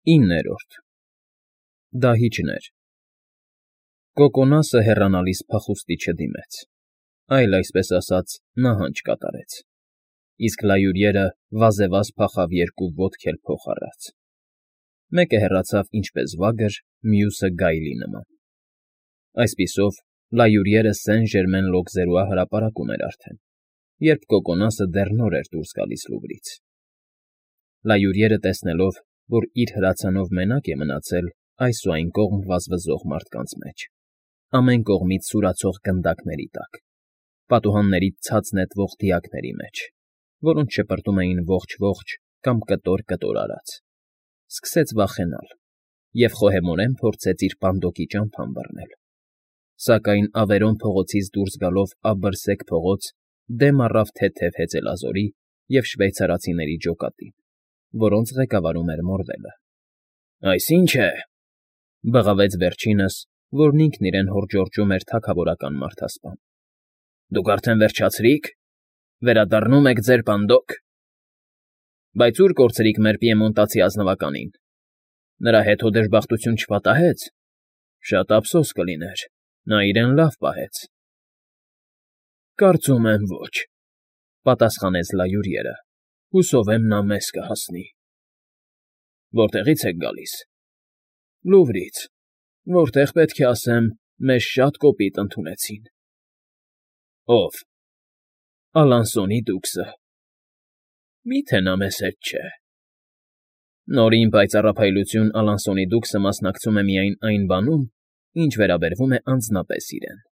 9. Դահիճներ Կոկոնասը հեռանալիս փախուստի չդիմեց, այլ, այսպես ասած, նահանջ կատարեց, իսկ լայուրիերը վազեվազ փախավ երկու ոտք էլ փոխ առած. մեկը հեռացավ ինչպես վագր, մյուսը գայլի նման. այսպիսով լայուրիերը Սեն֊Ժերմեն լոգզերուա հրապարակում էր արդեն, երբ Կոկոնասը դեռ նոր էր դուրս գալիս Լուվրից. լայուրիերը տեսնելով, որ իր հրացանով մենակ է մնացել այս ու այն կողմ վազվզող մարդկանց մեջ, ամեն կողմից սուրացող գնդակների տակ, պատուհաններից ցած նետվող դիակների մեջ, որոնց շպրտում էին ողջ-ողջ կամ կտոր արած, սկսեց վախենալ և խոհեմորեն փորձեց իր պանդոկի ճամփան բռնել, սակայն Ավերոն փողոցից դուրս գալով աբռսեկ փողոց դեմ առավ թեթև հեծելազորի և շվեյցարացիների ջոկատին, որոնց ղեկավարում էր Մորվելը։ ֊ Այս ի՞նչ է,֊ բղավեց վերջինս, որն ինքն իրեն հորջորջում էր թագավորական մարդասպան։ ֊ Դուք արդեն վերջացրի՞ք. վերադառնում եք ձեր պանդոկ… Բայց ո՞ւր կորցրիք մեր պիեմոնտացի ազնվականին… Նրա հետ հո դժբախտություն չպատահեց… Շատ ափսոս կլիներ, նա իրեն լավ պահեց… ֊ Կարծում եմ ոչ,֊ պատասխանեց լայուրիերը,֊ հուսով եմ նա մեզ կհասնի։ ֊ Որտեղի՞ց եք գալիս։ ֊ Լուվրից, որտեղ, պետք է ասեմ, մեզ շատ կոպիտ ընդունեցին։ ֊ Ո՞վ։ ֊ Ալանսոնի դուքսը։ ֊ Մի՞թե նա մեզ հետ չէ։ ֊ Նորին պայծառափայլություն Ալանսոնի դուքսը մասնակցում է միայն այն բանում, ինչ վերաբերվում է անձնապես իրեն.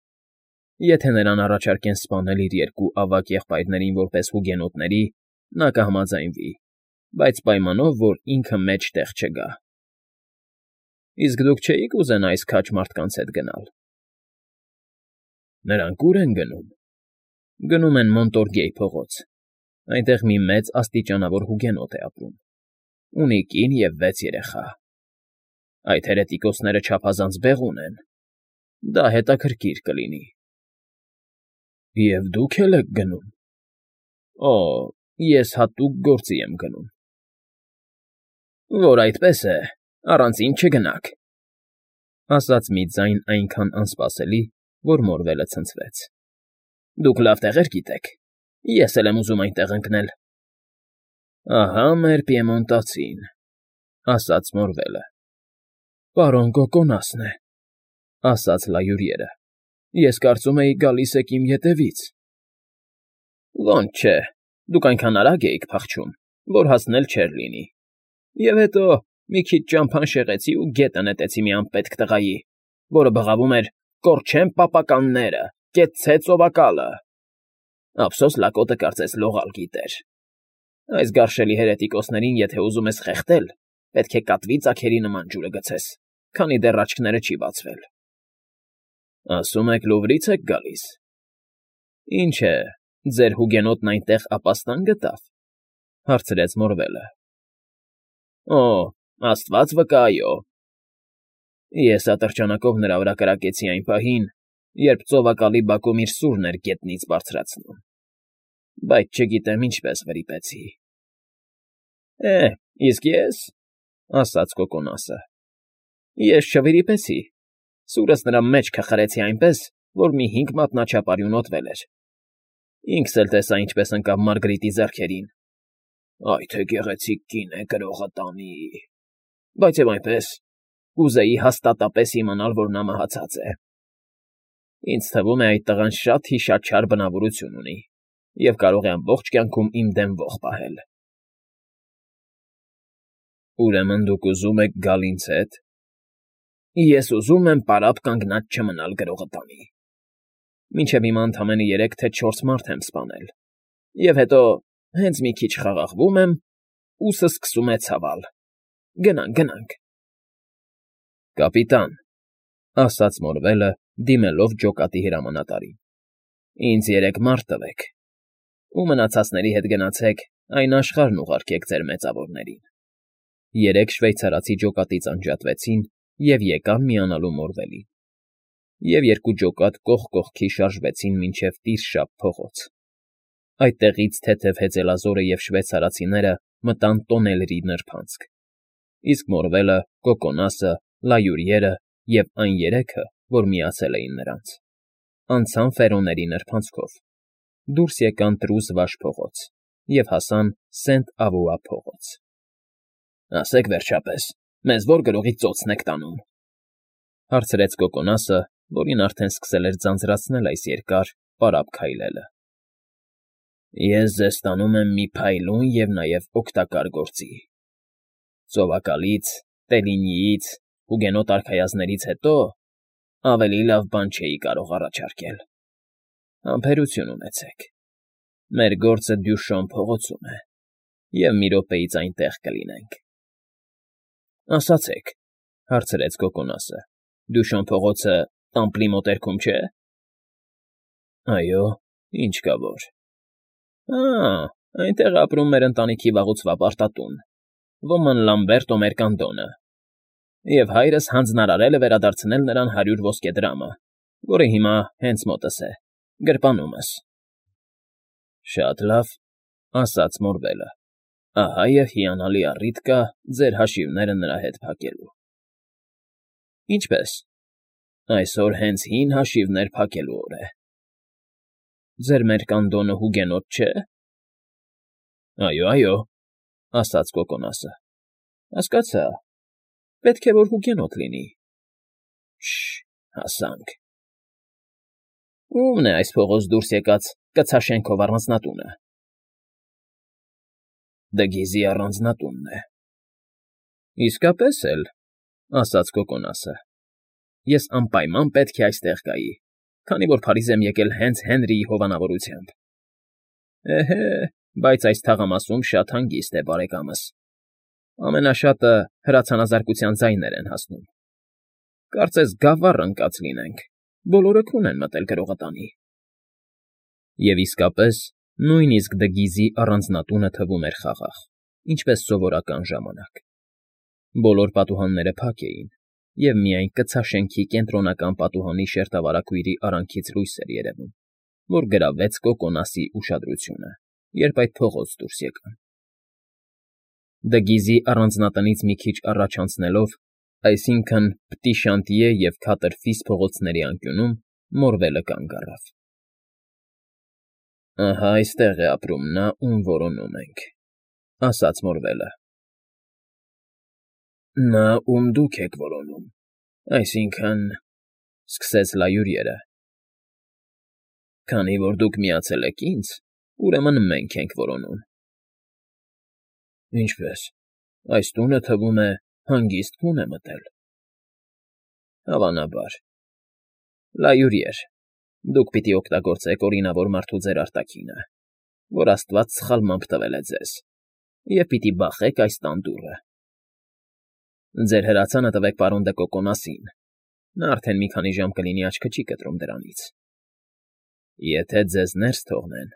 եթե նրան առաջարկեն սպանել իր երկու ավագ եղբայրներին որպես հուգենոտների, նա կհամաձայնվի, բայց պայմանով, որ ինքը մեջտեղ չգա։ ֊ Իսկ դուք չէի՞ք ուզենա այս քաջ մարդկանց հետ գնալ։ ֊ Նրանք ո՞ւր են գնում։ ֊ Գնում են Մոնտորգեյ փողոց, այնտեղ մի մեծ աստիճանավոր հուգենոտ է ապրում, ունի կին և 6 երեխա։ Այդ հերետիկոսները չափազանց բեղուն են, դա հետաքրքիր կլինի։ ֊ Եվ դուք էլ եք գնում։ ֊ Օ, ես հատուկ գործի եմ գնում։ ֊ Որ այդպես է, առանցին չգնաք,֊ ասաց մի ձայն այնքան անսպասելի, որ Մորվելը ցնցվեց։ ֊ Դուք լավ տեղեր գիտեք, ես էլ եմ ուզում այնտեղ ընկնել։ ֊ Ահա մեր պիեմոնտացին,֊ ասաց Մորվելը։ ֊ Պարոն Կոկոնասն է,֊ ասաց լայուրիերը։ ֊ Ես կարծում էի գալիս եք իմ ետևից։ ֊ Ոնց չէ, դուք այնքան արագ էիք փախչում, որ հասնել չէր լինի, և հետո մի քիչ ճամփան շեղեցի ու գետը նետեցի մի անպետք տղայի, որը բղավում էր. «Կորչեն պապականները, կեցցե ծովակալը»։ Ափսոս լակոտը կարծես լողալ գիտեր։ Այս գարշելի հերետիկոսներին եթե ուզում ես խեղդել, պետք է կատվի ծագերի նման ջուրը գցես, քանի դեռ աչքները չի բացվել։ ֊ Ասում եք Լուվրից եք գալիս։ ֊ Ինչ է, ձեր հուգենոտն այնտեղ ապաստան գտավ,֊ հարցրեց Մորվելը։ ֊ Օ, աստված վկա, այո։ Ես ատրճանակով նրա վրա կրակեցի այն պահին, երբ ծովակալի բակում իր սուրն էր գետնից բարձրացնում, բայց չգիտեմ ինչպես վրիպեցի։ ֊ Իսկ ես,֊ ասաց Կոկոնասը,֊ ես չվրիպեցի, սուրս նրա մեջքը խրեցի այնպես, որ մի 5 մատնաչափ արյուն օդվել էր։ Ինքս էլ տեսա ինչպես ընկավ Մարգրիտի ձեռքերին։ Այ թե գեղեցիկ կին է, գրողը տանի… Բայց և այնպես, կուզեի հաստատապես իմանալ, որ նա մահացած է։ Ինձ թվում է, այդ տղան շատ հիշաչար բնավորություն ունի և կարող է ամբողջ կյանքում իմ դեմ ոխ պահել։ ֊ Ուրեմն դուք ուզում եք գալ ինձ հետ։ ֊ Ես ուզում եմ պարապ կանգնած չմնալ գրողը տանի։ Մինչև հիմա ընդամենը 3 թե 4 մարդ եմ սպանել, և հետո, հենց մի քիչ խաղաղվում եմ, ուսը սկսում է ցավել։ Գնանք։ ֊ Կապիտան,֊ ասաց Մորվելը, դիմելով ջոկատի հրամանատարին,֊ ինձ 3 մարդ տվեք, ու մնացածների հետ գնացեք այն աշխարհն ուղարկեք ձեր մեծավորներին։ 3 շվեյցարացի ջոկատից անջատվեցին և եկան միանալու Մորվելին, և 2 ջոկատ կողք կողքի շարժվեցին մինչև Տիրշապ փողոց։ Այդտեղից թեթև հեծելազորը և շվեյցարացիները մտան տոնելրի նրբանցք, իսկ Մորվելը, Կոկոնասը, Լայուրիերը և այն երեքը, որ միացել էին նրանց, անցան Ֆերոների նրբանցքով, դուրս եկան Տրուզ Վաշ փողոց և հասան Սենտ֊Ավուա փողոց։ ֊ Ասեք, վերջապես, մեզ ո՞ր գրողի ծոցն եք տանում,֊ հարցրեց Կոկոնասը, որին արդեն սկսել էր ձանձրացնել այս երկար, պարապ քայլելը։ ֊ Ես ձեզ տանում եմ մի փայլուն և նաև օգտակար գործի. ծովակալից, Տելինիից, հուգենոտ արքայազններից հետո ավելի լավ բան չէի կարող առաջարկել. համբերություն ունեցեք, մեր գործը Դյուշոն փողոցում է, և մի րոպեից այնտեղ կլինենք։ ֊ Ասացեք,֊ հարցրեց Կոկոնասը,֊ Դյուշոն փողոցը Տամպլի մոտերքում չէ՞։ ֊ Այո, ինչ կա որ։ ֊ Այնտեղ ապրում մեր ընտանիքի վաղուցվա պարտատուն, ոմն Լամբերտո Մերկանդոնը, և հայրս հանձնարարել է վերադարձնել նրան 100 ոսկե դրամը, որը հիմա հենց մոտս է, գրպանումս։ ֊ Շատ լավ,֊ ասաց Մորվելը,֊ ահա և հիանալի առիթ կա ձեր հաշիվները նրա հետ փակելու։ ֊ Ինչպե՞ս։ ֊ Այսօր հենց հին հաշիվներ փակելու օր է։ ֊ Ձեր Մերկանդոնը հուգենոտ չէ՞։ ֊ Այո, այո,֊ ասաց Կոկոնասը։ ֊ Հասկացա, պետք է որ հուգենոտ լինի։ ֊ Շ֊շ, հասանք։ ֊ Ո՞ւմն է այս փողոց դուրս եկած կցաշենքով առանձնատունը։ ֊ Դգիզի առանձնատունն է։ ֊ Իսկապես էլ,֊ ասաց Կոկոնասը,֊ ես անպայման պետք է այստեղ գայի, քանի որ Փարիզ եմ եկել հենց Հենրիի հովանավորությամբ։ ֊ Էհե, բայց այս թաղամասում շատ հանգիստ է, բարեկամս, ամենաշատը հրացանազարկության ձայներ են հասնում։ Կարծես գավառ ընկած լինենք, բոլորը քուն են մտել գրողատանի։ Եվ իսկապես, նույնիսկ Դգիզի առանձնատունը թվում էր խաղաղ, ինչպես սովորական ժամանակ։ Բոլոր պատուհանները փակ էին, և միայն կցաշենքի կենտրոնական պատուհանի շերտավարակույրի արանքից լույս էր երևում, որ գրավեց Կոկոնասի ուշադրությունը, երբ այդ փողոց դուրս եկան։ Դգիզի առանձնատնից մի քիչ առաջ անցնելով, այսինքն՝ Պտիշանտիե և Քաթրֆիս փողոցների անկյունում, Մորվելը կանգ առավ։ ֊ Ահա այստեղ է ապրում նա, ում որոնում ենք,֊ ասաց Մորվելը։ ֊ Նա, ում դուք եք որոնում, այսինքն,֊ սկսեց Լայուրիերը։ ֊ Քանի որ դուք միացել եք ինձ, ուրեմն մենք ենք որոնում։ ֊ Ինչպե՞ս, այս տունը, թվում է, հանգիստ քուն է մտել։ ֊ Հավանաբար։ Լայուրիեր, դուք պիտի օգտագործեք օրինավոր մարդու ձեր արտաքինը, որ աստված սխալմամբ տվել է ձեզ, և պիտի բախեք այս տան դուռը։ Ձեր հրացանը տվեք պարոն դը Կոկոնասին, նա արդեն մի քանի ժամ կլինի աչքը չի կտրում դրանից։ Եթե ձեզ ներս թողնեն,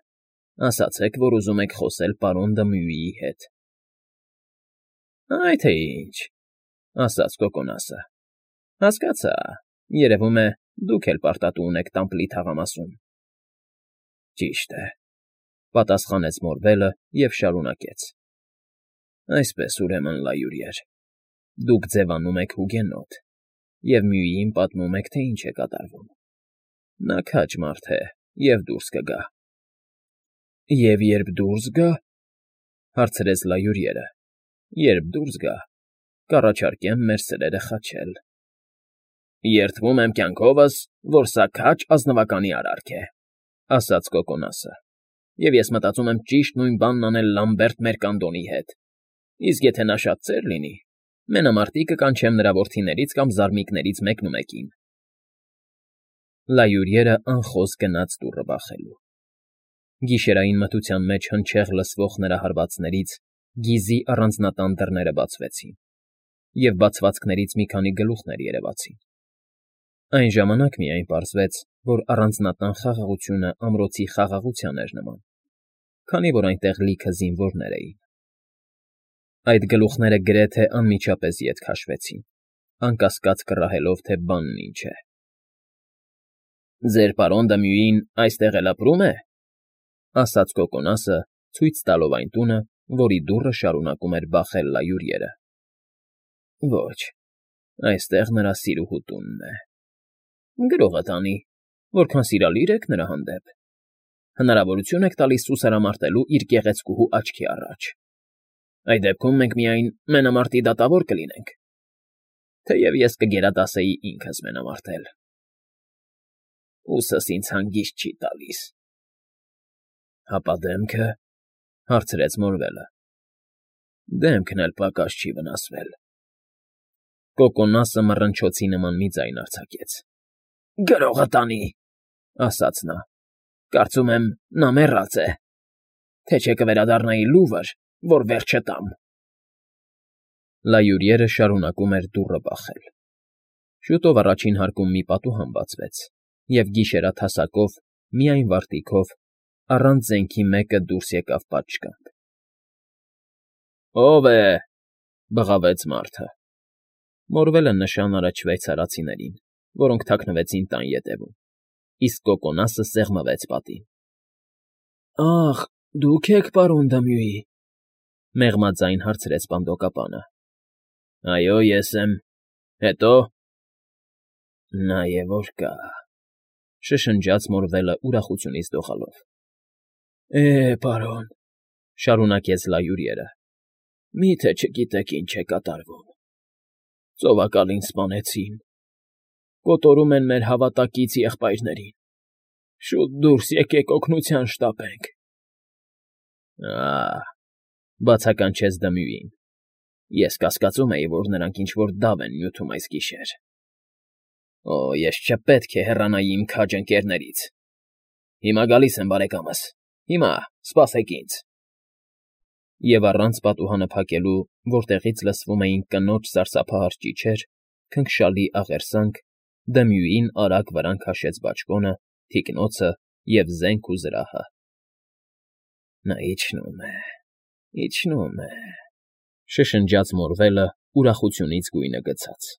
ասացեք, որ ուզում եք խոսել պարոն դը Մյուիի հետ։ ֊ Այ թե ինչ,֊ ասաց Կոկոնասը,֊ հասկացա, երևում է, դուք էլ պարտատու ունեք Տամպլի թաղամասում։ ֊ Ճիշտ է,֊ պատասխանեց Մորվելը և շարունակեց,֊ Այսպես, ուրեմն, Լայուրիեր, դուք ձևանում եք հուգենոտ և Մյուիին պատմում եք, թե ինչ է կատարվում։ Նա քաջ մարդ է և դուրս կգա։ ֊ Եվ երբ դուրս գա,֊ հարցրեց Լայուրիերը,֊ երբ դուրս գա, կառաջարկեմ մեր սրերը խաչել։ ֊ Երդվում եմ կյանքովս, որ սա քաջ ազնվականի արարք է,֊ ասաց Կոկոնասը,֊ և ես մտածում եմ ճիշտ նույն բանն անել Լամբերտ Մերկանդոնի հետ, իսկ եթե նա շատ ծեր լինի, մենամարտի կկանչեմ նրա որդիներից կամ զարմիկներից մեկնումեկին։ Լայուրիերը անխոզ գնաց դուռը բախելու։ Գիշերային մթության մեջ հնչեղ լսվող նրա հարվածներից գիզի առանձնատան դռները բացվեցին, և բացվածքներից մի քանի գլուխներ երևացին։ Այն ժամանակ միայն պարզվեց, որ առանձնատան խաղաղությունը ամրոցի խաղաղության էր նման, քանի որ այնտեղ լիքը զինվորներ էին։ Այդ գլուխները գրեթե անմիջապես ետ քաշվեցին, անկասկած կռահելով, թե բանն ինչ է։ ֊ Ձեր պարոն դը Մյուին այստեղ էլ ապրում է,֊ ասաց Կոկոնասը, ցույց տալով այն տունը, որի դուռը շարունակում էր բախել Լայուրիերը։ Ոչ, այստեղ նրա սիրուհու տունն է։ Գրողը տանի, որքան սիրալիր եք նրա հանդեպ։ Հնարավորություն եք տալիս սուսարամարտելու իր գեղեցկուհու աչքի առաջ։ Այդ դեպքում մենք միայն մենամարտի դատավոր կլինենք, թեև ես կգերադասեի ինքս մենամարտել։ Ուսս ինձ հանգիստ չի տալիս։ Հապա դեմքը, հարցրեց Մորվելը։ Դեմքն էլ պակաս չի վնասվել։ Կոկոնասը մռնչոցի նման մի ձայն արձակեց։ Գրողը տանի, ասաց նա։ Կարծում եմ, նա մեռած է, թե չէ կվերադառնայի լուվր, որ վերջը տամ։ Լայուրիերը շարունակում էր դուռը բախել։ Շուտով առաջին հարկում մի պատուհան բացվեց, և գիշերաթասակով, միայն վարտիքով, առանց զենքի մեկը դուրս եկավ պատշգամբ։ Ո՞վ է,֊ բղավեց մարդը։ Մորվելը նշան արեց շվեյցարացիներին, որոնք թաքնվեցին տան ետևում, իսկ Կոկոնասը սեղմվեց պատին։ Ախ, դուք եք, պարոն Դմյուի,֊ մեղմաձայն հարցրեց պանդոկապանը։ Այո, ես եմ։ Հետո… Նա է որ կա,֊ շշնջաց Մորվելը ուրախությունից դողալով։ Պարոն,֊ շարունակեց Լայուրիերը,֊ մի՞թե չգիտեք ինչ է կատարվում։ Ծովակալին սպանեցին, կոտորում են մեր հավատակից եղբայրներին։ Շուտ դուրս եկեք օգնության շտապենք։ Ա՜, բացականչեց Դմյուին։ Ես կասկածում էի, որ նրանք ինչ֊որ դավ են նյութում այս գիշեր։ Օ, ես չպետք է հեռանայի իմ քաջ ընկերներից։ Հիմա գալիս եմ, բարեկամս, հիմա, սպասեք ինձ։ Եվ առանց պատուհանը փակելու, որտեղից լսվում էին կնոջ սարսափահար ճիչեր, քնքշալի աղերսանք, Դմյուին արագ վրան քաշեց բաճկոնը, թիկնոցը և զենք ու զրահը։ Նա իջնում է,֊ շշնջաց Մորվելը ուրախությունից գույնը գցած։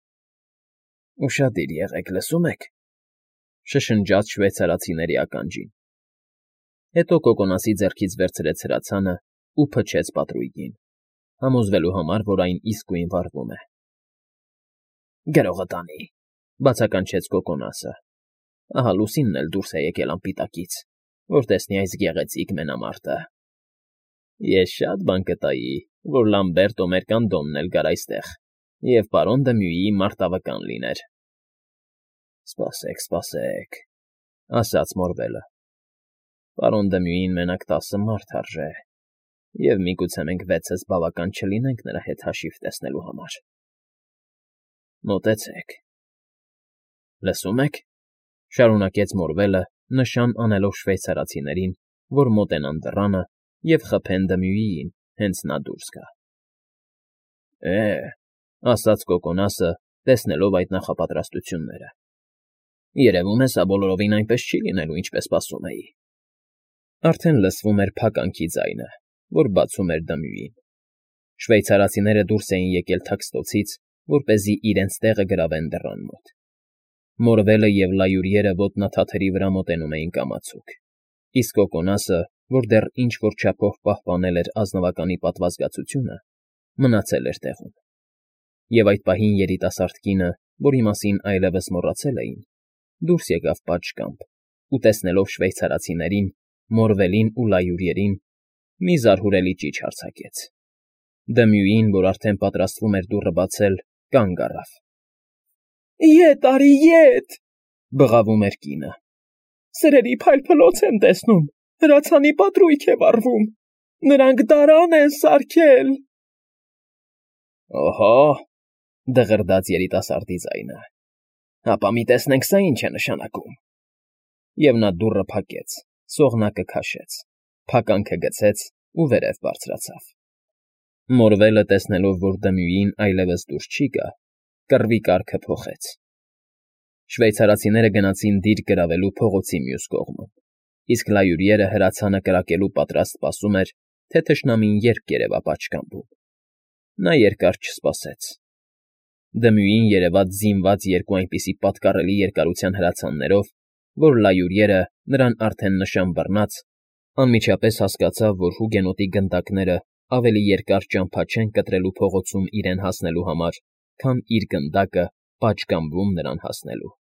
Ուշադիր եղեք, լսում եք,֊ շշնջաց շվեյցարացիների ականջին։ Հետո Կոկոնասի ձեռքից վերցրեց հրացանը ու փչեց պատրույգին, համոզվելու համար, որ այն իսկույն վառվում է։ Գրողը տանի,֊ բացականչեց Կոկոնասը։ Ահա լուսինն էլ դուրս է եկել անպիտակից, որ տեսնի այս գեղեցիկ մենամարտը։ Ես շատ բան կտայի, որ Լամբերտո մեր կանդոմն էլ գար այստեղ, և պարոն Դմյուիի մարտավկան լիներ։ Սպասեք,֊ ասաց Մորվելը։ Պարոն Դմյուին մենակ 10 մարդ արժե, և միգուցե մենք 6-ս բավական չլինենք նրա հետ հաշիվ տեսնելու համար։ Մոտեցեք։ Լսում եք,֊ շարունակեց Մորվելը, նշան անելով շվեյցարացիներին, որ մոտենան դռանը և խփեն Դմյուիին, հենց նա դուրս գա։ Ասաց Կոկոնասը, տեսնելով այդ նախապատրաստությունները։ Երևում է, սա բոլորովին այնպես չի լինելու, ինչպես սպասում էի։ Արդեն լսվում էր փականքի ձայնը, որ բացում էր Դմյուին։ Շվեյցարացիները դուրս էին եկել թաքստոցից, որպեսզի իրենց տեղը գրավեն դռան մոտ։ Մորվելը և Լայուրիերը ոտնաթաթերի վրա մոտենում էին կամացուկ, իսկ Կոկոնասը, որ դեռ ինչ֊որ չափով պահպանել էր ազնվականի պատվազգացությունը, մնացել էր տեղում։ Եվ այդ պահին երիտասարդ կինը, որի մասին այլևս մոռացել էին, դուրս եկավ պատշգամբ ու, տեսնելով շվեյցարացիներին, Մորվելին ու Լայուրիերին, մի զարհուրելի ճիչ արձակեց։ Դմյուին, որ արդեն պատրաստվում էր դուռը բացել, կանգ առավ։ Ետ արի, ետ,֊ բղավում էր կինը։ Սրերի փայլփլոց եմ տեսնում, հրացանի պատրույգ է վառվում, նրանք դարան են սարքել։ Օհո,֊ դղրդաց երիտասարդի ձայնը, հապա մի տեսնենք սա ինչ է նշանակում։ Եվ նա դուռը փակեց, սողնակը քաշեց, փականքը գցեց ու վերև բարձրացավ։ Մորվելը, տեսնելով, որ Դմյուին այլևս դուրս չի գա, կռվի կարգը փոխեց։ Շվեյցարացիները գնացին դիրք գրավելու փողոցի մյուս կողմում, իսկ Լայուրիերը հրացանը կրակելու պատրաստ սպասում էր, թե թշնամին երբ կերևա պատշգամբում։ Նա երկար չսպասեց։ Դմյուին երևաց զինված երկու այնպիսի պատկառելի երկարության հրացաններով, որ Լայուրիերը, նրան արդեն նշան բռնած, անմիջապես հասկացավ, որ հուգենոտի գնդակները ավելի երկար ճամփա չեն կտրելու փողոցում իրեն հասնելու համար, քան իր գնդակը պատշգամբում նրան հասնելու։